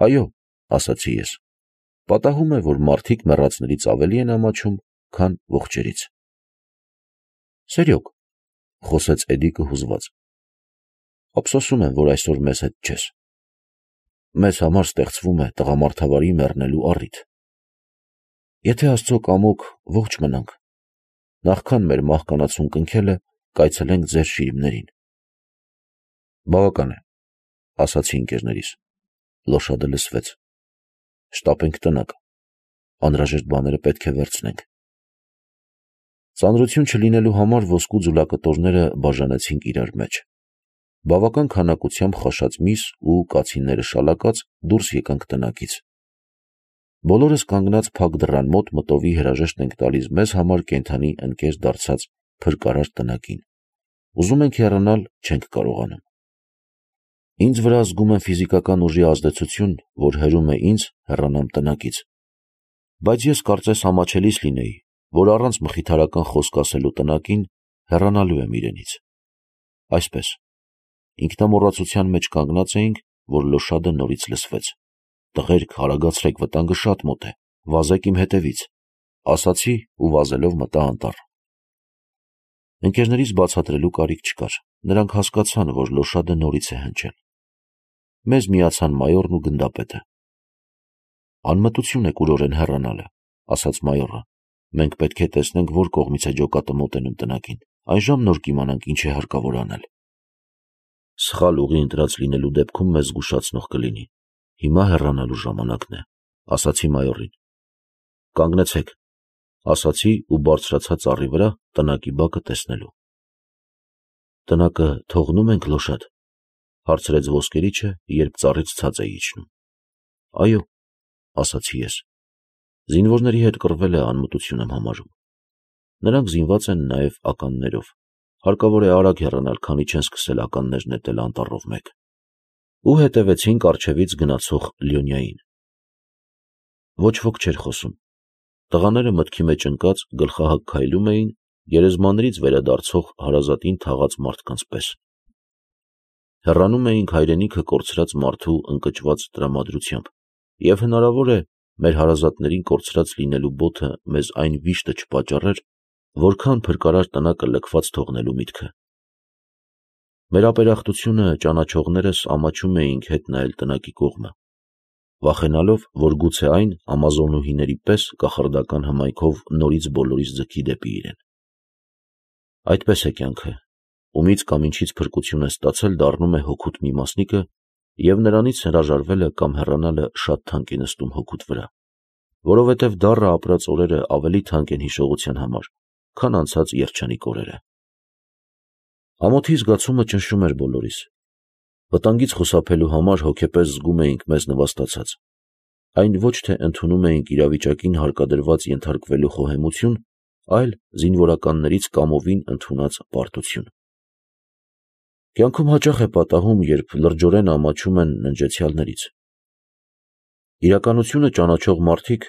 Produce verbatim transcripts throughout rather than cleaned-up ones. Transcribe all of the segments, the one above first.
Այո, ասացի ես, պատահում է, որ մարդիկ մեռածներից ավելի են ամաչում, քան ողջերից։ Սերյոք, խոսեց Էդիկը հուզված, ափսոսում եմ, որ այսօր մեզ հետ չես։ Մեզ համար ստեղծվում է տղամարդավարի մեռնելու առիթ։ Եթե Աստծո կամոք ողջ մնանք, նախքան մեր մահկանացուն կնքելը կայցելենք ձեր շիրիմներին։ Բավական է, ասացի ընկերներիս, լոշադը լսվեց։ Շտապենք տնակ, անհրաժեշտ բաները պետք է վերցնենք։ Ծանրություն չլինելու համար ոսկու ձուլակտորները բաժանեցինք իրար մեջ։ Բավական քանակությամբ խաշած միս ու կացինները շալակած դուրս եկանք տնակից։ Բոլորս կանգնած փակ դռան մոտ մտովի հրաժեշտ ենք տալիս մեզ համար կենդանի ընկեր դարձած փրկարար տնակին։ Ուզում ենք հեռանալ, չենք կարողանում։ Ինձ վրա զգում եմ ֆիզիկական ուժի ազդեցություն, որ հրում է ինձ հեռանամ տնակից։ Բայց ես կարծես ամաչելիս լինեի, որ առանց մխիթարական խոսք ասելու տնակին հեռանալու եմ իրենից։ Այսպես, ինքնամոռացության մեջ կանգնած էինք, որ լոշադը նորից լսվեց։ Տղերք, արագացրեք, վտանգը շատ մոտ է, վազեք իմ հետևից, ասացի ու վազելով մտա անտառ։ Ընկերներիս բացատրելու կարիք չկար, նրանք հասկացան, որ լոշադը նորից է հնչել։ Մեզ միացան մայորն ու գնդապետը։ Անմտություն է կուրորեն հեռանալը, ասաց մայորը, մենք պետք է տեսնենք, որ կողմից է ջոկատը մոտենում տնակին, այժմ նոր կիմանանք ինչ է հարկավոր անել։ Սխալ ուղի ընտրած լինելու դեպքում մեզ զգուշացնող կլինի։ Հիմա հեռանալու ժամանակն է, ասացի մայորին։ Կանգնեցեք, ասացի ու բարձրացա ծառի վրա տնակի բակը տեսնելու։ Տնակը թողնում ենք լոշադ, հարցրեց ոսկերիչը, երբ ծառից ցած է իջնում։ Այո, ասացի ես։ Զինվորների հետ կռվել է անմտություն եմ համարում։ Նրանք զինված են նաև ականներով։ Հարկավոր է արագ հեռանալ, քանի չեն սկսել ականներ նետել անտառով մեկ։ Ու հետևեցինք առջևից գնացող Լյոնյային։ Ոչ ոք չէր խոսում։ Տղաները մտքի մեջ ընկած գլխահակ քայլում էին, գերեզմաններից վերադարձող հարազատին թաղած մարդկանց պես։ Հեռանում էինք հայրենիքը կորցրած մարդու ընկճված տրամադրությամբ, և հնարավոր է մեր հարազատներին կորցրած լինելու բոթը մեզ այն վիշտը չպատճառեր, որքան փրկարար տնակը լքված թողնելու միտքը։ Մեր ապերախտությունը ճանաչողներս ամաչում էինք հետ նայել տնակի կողմը, վախենալով, որ գուցե այն ամազոնուհիների պես կախարդական հմայքով նորից բոլորիս ձգի դեպի իրեն։ Այդպես է կյանքը, ումից կամ ինչից փրկություն է ստացել, դառնում է հոգուտ մի մասնիկը, և նրանից հրաժարվելը կամ հեռանալը շատ թանկ է նստում հոգուտ վրա, որովհետև դառը ապրած օրերը ավելի թանկ են հիշողության համար, քան անցած երջանիկ օրերը։ Ամոթի զգացումը ճնշում էր բոլորիս։ Վտանգից խուսափելու համար հոգեպես զգում էինք մեզ նվաստացած։ Այն ոչ թե ընդունում էինք իրավիճակին հարկադրված ենթարկվելու խոհեմություն, այլ զինվորականներից կամովին ընդունած պարտություն։ Կյանքում հաճախ է պատահում, երբ լրջորեն ամաչում են ննջեցյալներից։ Իրականությունը ճանաչող մարդիկ,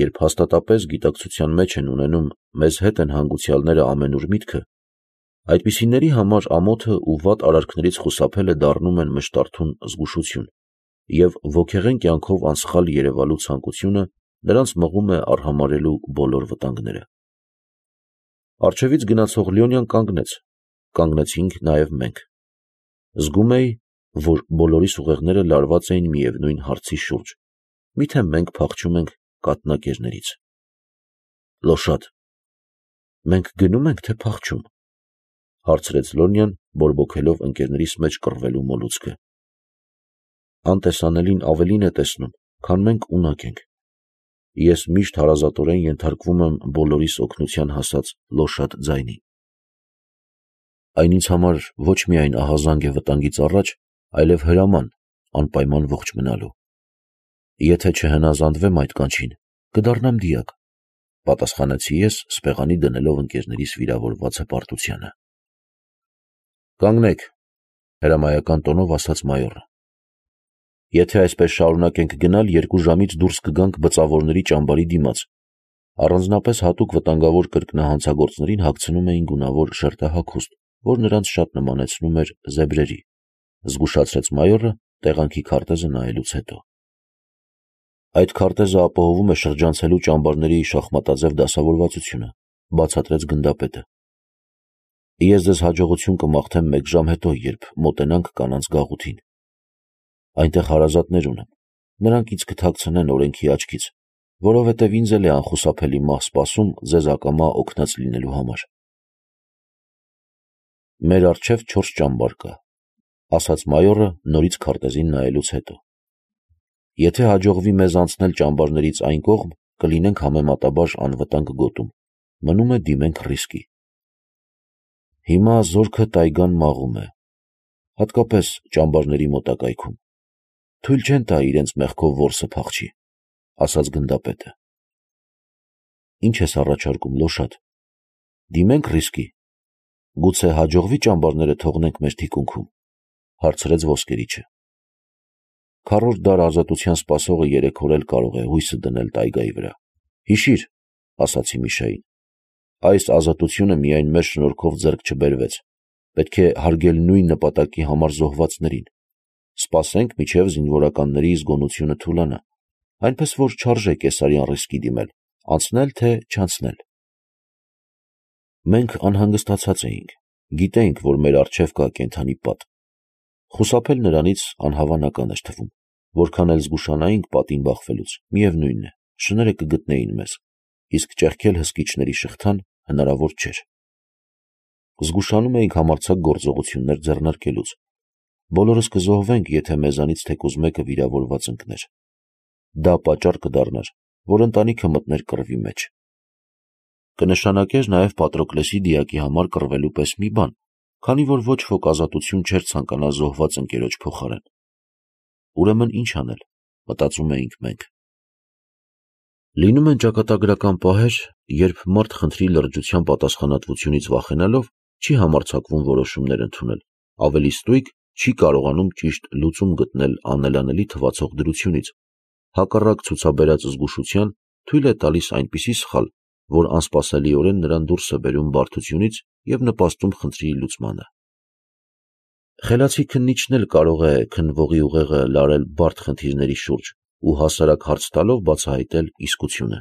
երբ հաստատապես գիտակցության մեջ են ունենում մեզ հետ են հանգուցյալները ամենուր միտքը, այդպիսիների համար ամոթը ու վատ արարքներից խուսափելը դառնում են մշտարթուն զգուշություն, և ոգեղեն կյանքով անսխալ երևալու ցանկությունը նրանց մղում է արհամարհելու բոլոր վտանգները։ Առջևից գնացող Լյոնյան կանգնեց, կանգնեցինք նաև մենք։ Զգում էի, որ բոլորիս ուղեղները լարված էին միևնույն հարցի շուրջ, միթե մենք փախչում ենք կաթնակերներից։ Լոշադ, մենք գնո՞ւմ ենք, թե փախչում, հարցրեց Լոնյան, բորբոքելով ընկերներիս մեջ կռվելու մոլուցքը։ Անտեսանելին ավելին է տեսնում, քան մենք ունակ ենք։ Ես միշտ հարազատորեն ենթարկվում եմ բոլորիս օգնության հասած լոշադ ձայնի։ Այն ինձ համար ոչ միայն ահազանգ է վտանգից առաջ, այլև հրաման անպայման ողջ մնալու։ Եթե չհնազանդվեմ այդ կանչին, կդառնամ դիակ, պատասխանեցի ես, սպեղանի դնելով ընկերներիս վիրավորված հպարտությանը։ Կանգնեք, հրամայական տոնով ասաց մայորը։ Եթե այսպես շարունակենք գնալ, երկու ժամից դուրս կգանք բծավորների ճամբարի դիմաց։ Առանձնապես հատուկ վտանգավոր կրկնահանցագործներին հագցնում էին գունավոր շերտահագուստ, որ նրանց շատ նմանեցնում էր զեբրերի, զգուշացրեց մայորը տեղանքի քարտեզը նայելուց հետո։ Այդ քարտեզը ապահովում է շրջանցելու ճամբարների շախմատաձև դասավորվածությունը, բացատրեց գնդապետը։ Ես ձեզ հաջողություն կմաղթեմ մեկ ժամ հետո, երբ մոտենանք կանանց գաղութին։ Այնտեղ հարազատներ ունեմ, նրանք ինձ կթաքցնեն օրենքի աչքից, որովհետև ինձ էլ է անխուսափելի մահ սպասում ձեզ ակամա օգնած լինելու համար։ Մեր առջև չորս ճամբար կա, ասաց մայորը նորից քարտեզին նայելուց հետո։ Եթե հաջողվի մեզ անցնել ճամբարներից այն կողմ, կլինենք համեմատաբար անվտանգ գոտում, մնում է դիմենք ռիսկի։ Հիմա զորքը տայգան մաղում է, հատկապես ճամբարների մոտակայքում, թույլ չեն տա իրենց մեղքով որսը փախչի, ասաց գնդապետը։ Ինչ ես առաջարկում, Լոշատ, դիմենք ռիսկի, գուցե հաջողվի ճամբարները թողնենք մեր թիկունքում, հարցրեց ոսկերիչը։ Քառորդ դար ազատության սպասողը երեք օր էլ կարող է հույսը դնել տայգայի վրա։ Հիշիր, ասացի Միշային, այս ազատությունը միայն մեր շնորհքով ձեռք չբերվեց, պետք է հարգել նույն նպատակի համար զոհվածներին։ Սպասենք, մինչև զինվորականների զգոնությունը թուլանա, այնպես որ չարժե կեսարյան ռիսկի դիմել, անցնել թե չանցնել։ Մենք անհանգստացած էինք, գիտեինք, որ մեր առջև կա կենդանի պատ։ Խուսափել նրանից անհավանական էր թվում, որքան էլ զգուշանայինք պատին բախվելուց, միևնույն է, շները կգտնեին մեզ, իսկ ճեղքել հսկիչների շղթան հնարավոր չէր։ Զգուշանում էինք համարձակ գործողություններ ձեռնարկելուց։ Բոլորս կզոհվենք, եթե մեզանից թեկուզ մեկը վիրավորված ընկներ։ Դա պատճառ կդառնար, որ ընտանիքը մտներ կռվի մեջ։ Կնշանակեր նաև Պատրոկլեսի դիակի համար կռվելու պես մի բան, քանի որ ոչ ոք ազատություն չէր ցանկանա զոհված ընկերոջ փոխարեն։ Ուրեմն ինչ անել, մտածում էինք մենք։ Լինում են ճակատագրական պահեր, երբ մարդ խնդրի լրջության պատասխանատվությունից վախենալով չի համարձակվում որոշումներ ընդունել, ավելի ստույգ չի կարողանում ճիշտ լուծում գտնել անելանելի թվացող դրությունից, հակառակ ցուցաբերած զգուշության թույլ է տալիս այնպիսի սխալ, որ անսպասելիորեն նրան դուրս է բերում բարդությունից և նպաստում խնդրի լուծմանը։ Խելացի քննիչն էլ կարող է քննվողի ուղեղը լարել բարդ խնդիրների շուրջ ու հասարակ հարց տալով բացահայտել իսկությունը։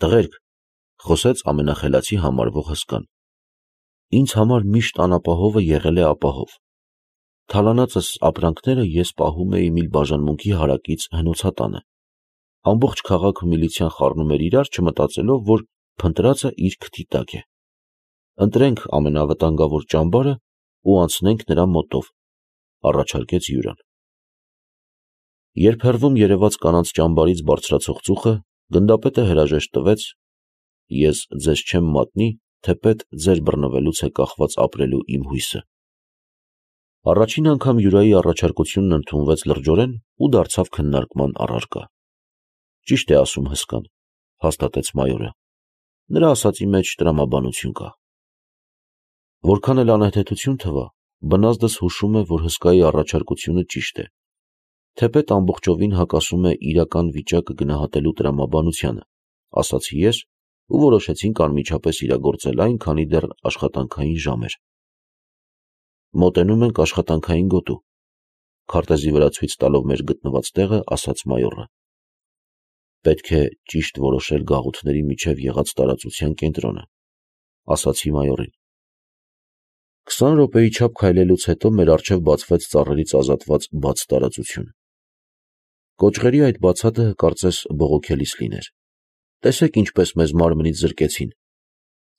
Տղերք, խոսեց ամենախելացի համարվող հսկան, ինձ համար միշտ անապահովը եղել է ապահով։ Թալանածս ապրանքները ես պահում էի մի բաժանմունքի հարակից հնոցատանը։ Ամբողջ քաղաքը միլիցիան խառնում էր իրար, չմտածելով, որ փնտրածը իր քթի տակ է։ Ընտրենք ամենավտանգավոր ճամբարը ու անցնենք նրա մոտով, առաջարկեց Յուրան։ Երբ հեռվում երևաց կանանց ճամբարից բարձրացող ծուխը, գնդապետը հրաժեշտ տվեց. ես ձեզ չեմ մատնի, թեպետ ձեր բռնվելուց է կախված ապրելու իմ հույսը։ Առաջին անգամ Յուրայի առաջարկությունն ընդունվեց լրջորեն ու դարձավ քննարկման առարկա։ Ճիշտ է ասում հսկան, հաստատեց մայորը։ Նրա ասածի մեջ տրամաբանություն կա։ Որքան էլ անհեթեթություն թվա, բնազդս հուշում է, որ հսկայի առաջարկությունը ճիշտ է, թեպետ ամբողջովին հակասում է իրական վիճակը գնահատելու տրամաբանությանը, ասացի ես ու որոշեցինք անմիջապես իրագործել այն, քանի դեռ աշխատանքային ժամ էր։ Մոտենում ենք աշխատանքային գոտու, քարտեզի վրա ցույց տալով մեր գտնված տեղը, ասաց մայորը։ Պետք է ճիշտ որոշել գաղութների միջև եղած տարածության կենտրոնը, ասացի մայորին։ Քսան րոպեի չափ քայլելուց հետո մեր առջև բացվեց ծառերից ազատված բաց տարածություն։ Կոճղերի այդ բացատը կարծես բողոքելիս լիներ։ Տեսեք ինչպես մեզ մարմնից զրկեցին,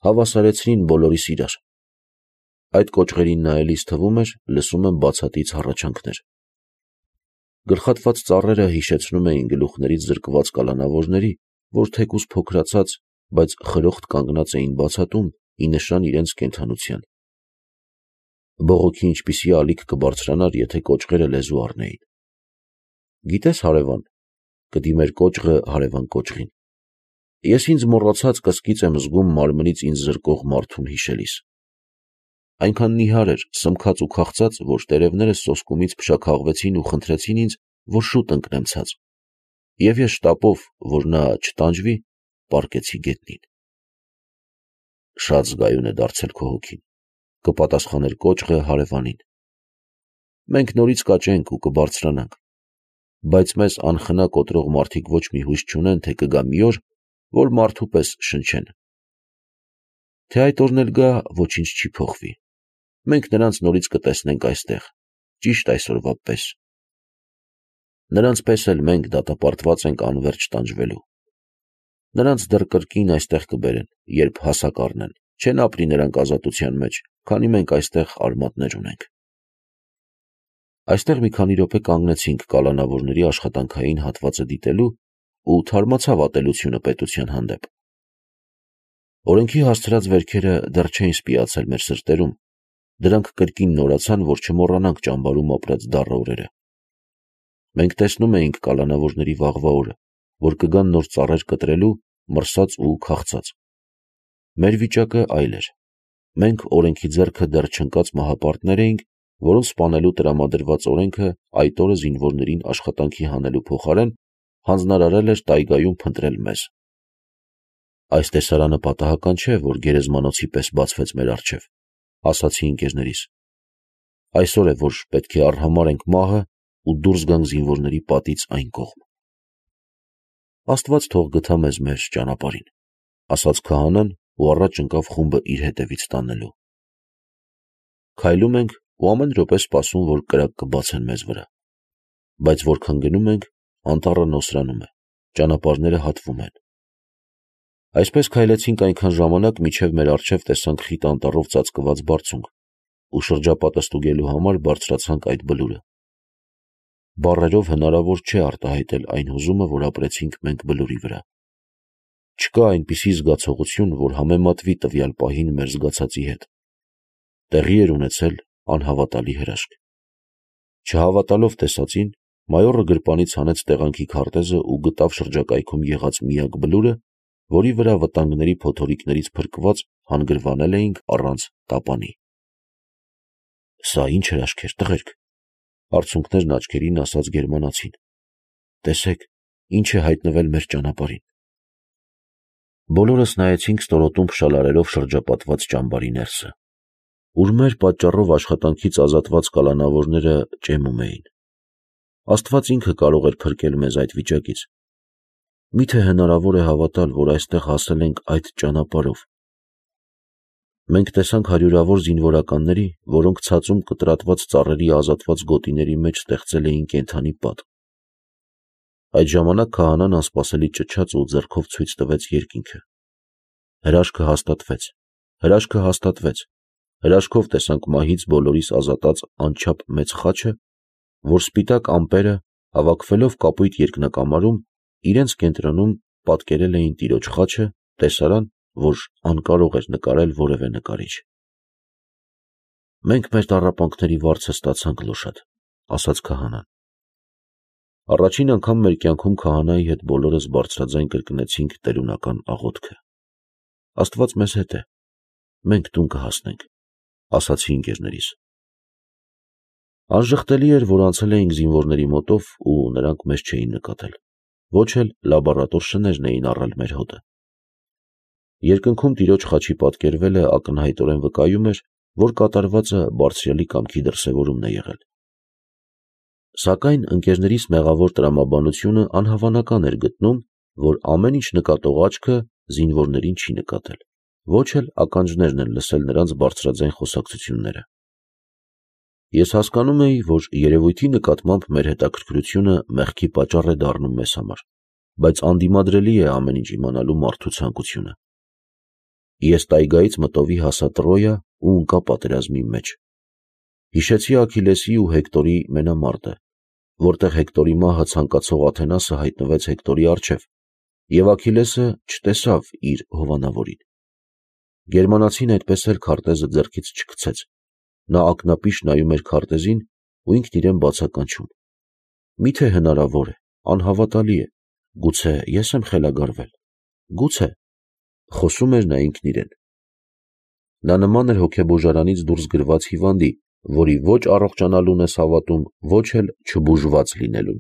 հավասարեցրին բոլորիս իրար։ Այդ կոճղերին նայելիս թվում էր, լսում եմ բացատից հառաչանքներ։ Գլխատված ծառերը հիշեցնում էին գլուխներից զրկված կալանավորների, որ թեկուզ փոքրացած, բայց խրոխտ կանգնած էին բացատում, ի նշան իրենց կենդանության։ Բողոքի ինչպիսի ալիք կբարձրանար, եթե կոճղերը լեզու առնեին։ Գիտես, հարևան, կդիմեր կոճղը հարևան կոճղին, ես ինձ մոռացած կսկիծ եմ զգում մարմնից ինձ զրկող մարդուն հիշելիս։ Այնքան նիհար էր, սմքած ու քաղցած, որ տերևներս սոսկումից փշաքաղվեցին ու խնդրեցին ինձ, որ շուտ ընկնեմ ցած, և ես շտապով, որ նա չտանջվի, պառկեցի գետնին։ Շատ զգայուն է դարձել քո հոգին, կպատասխաներ կոճղը հարևանին։ Մենք նորից կաճենք ու կբարձրանանք, բայց մեզ անխնա կոտրող մարդիկ ոչ մի հույս չունեն, թե կգա մի օր, որ մարդու պես շնչեն։ Թե այդ օրն էլ գա, ոչինչ չի փոխվի։ Մենք նրանց նորից կտեսնենք այստեղ, ճիշտ այսօրվա պես։ Նրանց պես էլ մենք դատապարտված ենք անվերջ տանջվելու։ Նրանց դեռ կրկին այստեղ կբերեն, երբ հասակ առնեն, չեն ապրի նրանք ազատության մեջ, քանի մենք այստեղ արմատներ ունենք։ Այստեղ մի քանի րոպե կանգնեցինք կալանավորների աշխատանքային հատվածը դիտելու ու թարմացավ ատելությունը պետության հանդեպ։ Օրենքի հասցրած վերքերը դեռ չէին սպիացել մեր սրտերում, դրանք կրկին նորացան, որ չմոռանանք ճամբարում ապրած դառը օրերը։ Մենք տեսնում էինք կալանավորների վաղվա օրը, որ կգան նոր ծառեր կտրելու, մրսած ու քաղցած։ Մեր վիճակը այլ էր։ Մենք օրենքի ձեռքը դեռ չընկած մահապարտներ էինք, որոնց սպանելու տրամադրված օրենքը այդ օրը զինվորներին աշխատանքի հանելու փոխարեն հանձնարարել էր տայգայում փնտրել մեզ։ Այս տեսարանը պատահական չէ, որ գերեզմանոցի պես բացվեց մեր առջև, ասացի ընկերներիս։ Այսօր է, որ պետք է արհամարհենք մահը ու դուրս գանք զինվորների պատից այն կողմ։ Աստված թող գթա մեզ մեր ճանապարհին, ասաց քահանան ու առաջ ընկավ խումբը իր հետևից տանելու։ Քայլում ենք ու ամեն րոպե սպասում, որ կրակ կբացեն մեզ վրա։ Բայց որքան գնում ենք, անտառը նոսրանում է, ճանապարհները հատվում են։ Այսպես քայլեցինք այնքան ժամանակ, մինչև մեր առջև տեսանք խիտ անտառով ծածկված բարձունք ու շրջապատը ստուգելու համար բարձրացանք այդ բլուրը։ Բառերով հնարավոր չէ արտահայտել այն հուզումը, որ ապրեցինք մենք բլուրի վրա։ Չկա այնպիսի զգացողություն, որ համեմատվի տվյալ պահին մեր զգացածի հետ։ Տեղի էր ունեցել անհավատալի հրաշք։ Չհավատալով տեսածին, մայորը գրպանից հանեց տեղանքի քարտեզը ու գտավ շրջակայքում եղած միակ բլուրը, որի վրա վտանգների փոթորիկներից փրկված հանգրվանել էինք առանց տապանի։ Սա ի՞նչ հրաշք էր, տղերք, արցունքներն աչքերին ասաց գերմանացին։ Տեսեք, ինչ է հայտնվել մեր ճանապարհին։ Բոլորս նայեցինք ստորոտում փշալարերով շրջապատված ճամբարի ներսը, ուր մեր պատճառով աշխատանքից ազատված կալանավորները ճեմում էին։ Աստված ինքը կարող էր փրկել մեզ այդ վիճակից։ Միթե հնարավոր է հավատալ, որ այստեղ հասել ենք այդ ճանապարհով։ Մենք տեսանք հարյուրավոր զինվորականների, որոնք ցածում կտրատված ծառերի ազատված գոտիների մեջ ստեղծել էին կենդանի պատ։ Այդ ժամանակ քահանան անսպասելի ճչաց ու ձեռքով ցույց տվեց երկինքը։ Հրաշքը հաստատվեց, հրաշքը հաստատվեց, հրաշքով տեսանք մահից բոլորիս ազատած անչափ մեծ խաչը, որ սպիտակ ամպերը, հավաքվելով կապույտ երկնակամարում, իրենց կենտրոնում պատկերել էին տիրոջ խաչը, տեսարան, որ անկարող էր նկարել որևէ նկարիչ։ Մենք մեր տառապանքների վարձը ստացանք, Լոշատ, ասաց քահանան։ Առաջին անգամ մեր կյանքում քահանայի հետ բոլորս բարձրաձայն կրկնեցինք տերունական աղոթքը։ Աստված մեզ հետ է, մենք տուն կհասնենք, ասացի ընկերներիս։ Անժխտելի էր, որ անցել էինք զինվորների մոտով ու նրանք մեզ չէին նկատել, ոչ էլ լաբորատոր շներն էին առել մեր հոտը։ Երկնքում տիրոջ խաչի պատկերվելը ակնհայտորեն վկայում էր, որ կատարվածը բարձրյալի կամքի դրսևորումն է եղել։ Սակայն ընկերներիս մեղավոր տրամաբանությունը անհավանական էր գտնում, որ ամեն ինչ նկատող աչքը զինվորներին չի նկատել, ոչ էլ ականջներն են լսել նրանց բարձրաձայն խոսակցությունները։ Ես հասկանում էի, որ երևույթի նկատմամբ մեր հետաքրքրությունը մեղքի պատճառ է դառնում մեզ համար, բայց անդիմադրելի է ամեն ինչ իմանալու մարդու ցանկությունը։ Ես տայգայից մտովի հասա Տրոյա ու ընկա պատերազմի մեջ։ Հիշեցի Աքիլեսի ու Հեկտորի մենամարտը, որտեղ Հեկտորի մահը ցանկացող Աթենասը հայտնվեց Հեկտորի առջև, և Աքիլեսը չտեսավ իր հովանավորին։ Գերմանացին այդպես էլ քարտեզը ձեռքից չգցեց, նա ակնապիշ նայում էր քարտեզին ու ինքն իրեն բացականչում։ Միթե հնարավոր է, անհավատալի է, գուցե ես եմ խելագարվել, գուցե, խոսում էր նա ինքն իրեն։ Նա նման էր հոգեբուժարանից դուրս գրված հիվանդի, որի ոչ առողջանալուն ես հավատում, ոչ էլ չբուժված լինելուն։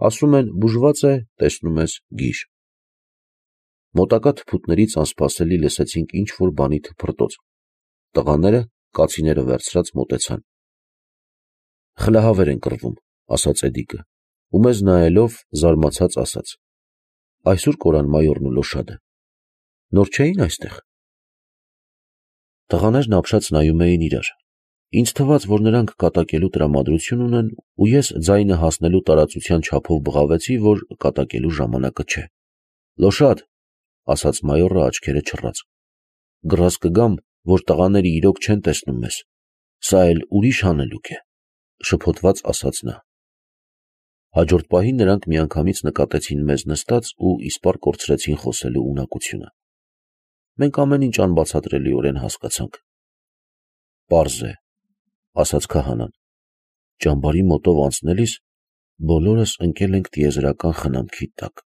Ասում են բուժված է, տեսնում ես գիժ։ Մոտակա թփուտներից անսպասելի լսեցինք ինչ-որ բանի թփրտոց։ Տղաները, կացիները վերցրած մոտեցան։ Խլահավեր են կռվում, ասաց Էդիկը։ ու մեզ նայելով զարմացած ասաց. «Այսօր կորան մայորն ու Լոշադը, նոր չէի՞ն այստեղ»։ Տղաներն ապշած նայում էին իրար. ինձ թվաց, որ նրանք կատակելու տրամադրություն ունեն, ու ես ձայնը հասնելու տարածության չափով բղավեցի, որ կատակելու ժամանակը չէ։ «Լոշադ», ասաց մայորը աչքերը չռած, «գրազ կգամ, որ տղաները իրոք չեն տեսնում մեզ, սա էլ ուրիշ հանելուկ է», շփոթված ասաց նա։ Հաջորդ պահին նրանք միանգամից նկատեցին մեզ նստած ու իսպառ կորցրեցին խոսելու ունակությունը։ Մենք ամեն ինչ անբացատրելիորեն հասկացանք։ «Պարզ է», ասաց քահանան, «ճամբարի մոտով անցնելիս բոլորս ընկել ենք տիեզերական խնամքի տակ»։